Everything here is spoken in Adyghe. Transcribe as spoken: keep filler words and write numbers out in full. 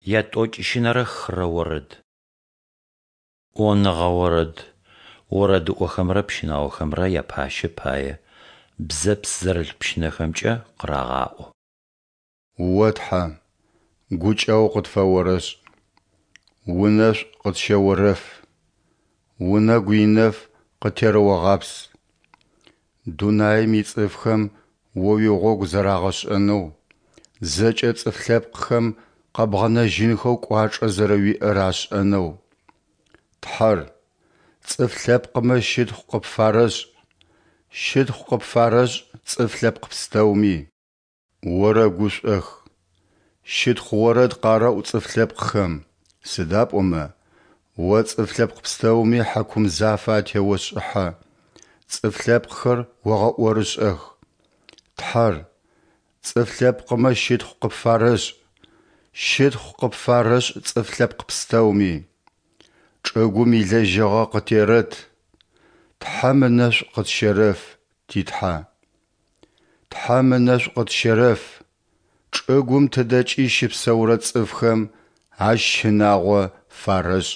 Ятӏокӏищынэрэ хырэ орэд. ӏоныгъэ орэд, орэдыӏохэмрэ пщынаохэмрэ япащэ пае, бзэпс зэрылъ пщынэхэмкӏэ къырагъаӏо. О Тхьэ, гукӏэгъу къытфэорэшӏ, унэшӏу къытщэорэф, унэгу инэф къыттерэогъапс. Дунаем ицӏыфхэм О уигъогу зэрагъэшӏэнэу, зэкӏэ цӏыф лъэпкъхэм къэбгъэнэжьынхэу кӏуачӏэ зэрэуиӏэр ашӏэнэу. Тхьэр, цӏыф лъэпкъмэ щытхъу къыпфарэшӏ, щытхъу къыпфарэшӏ цӏыф лъэпкъ пстэуми. Орэгушӏох, щытхъу орэд къарэӏу цӏыф лъэпкъхэм, сыда пӏомэ О цӏыф лъэпкъ пстэуми хьакум зафэ атеошӏыхьэ, цӏыф лъэпкъхэр огъэӏорышӏэх. Тхьэр, цӏыф лъэпкъмэ щытхъу къыпфарэшӏ, щытхъу къыпфарэшӏ цӏыф лъэпкъ пстэуми. Чӏыгум илэжьыгъэ къытерэт, Тхьэм ынэшӏу къытщерэф, ти Тхьэ. Тхьэм ынэшӏу къытщерэф, чӏыгум тыдэкӏи щыпсэурэ цӏыфхэм Ащ щынагъо фарэшӏ.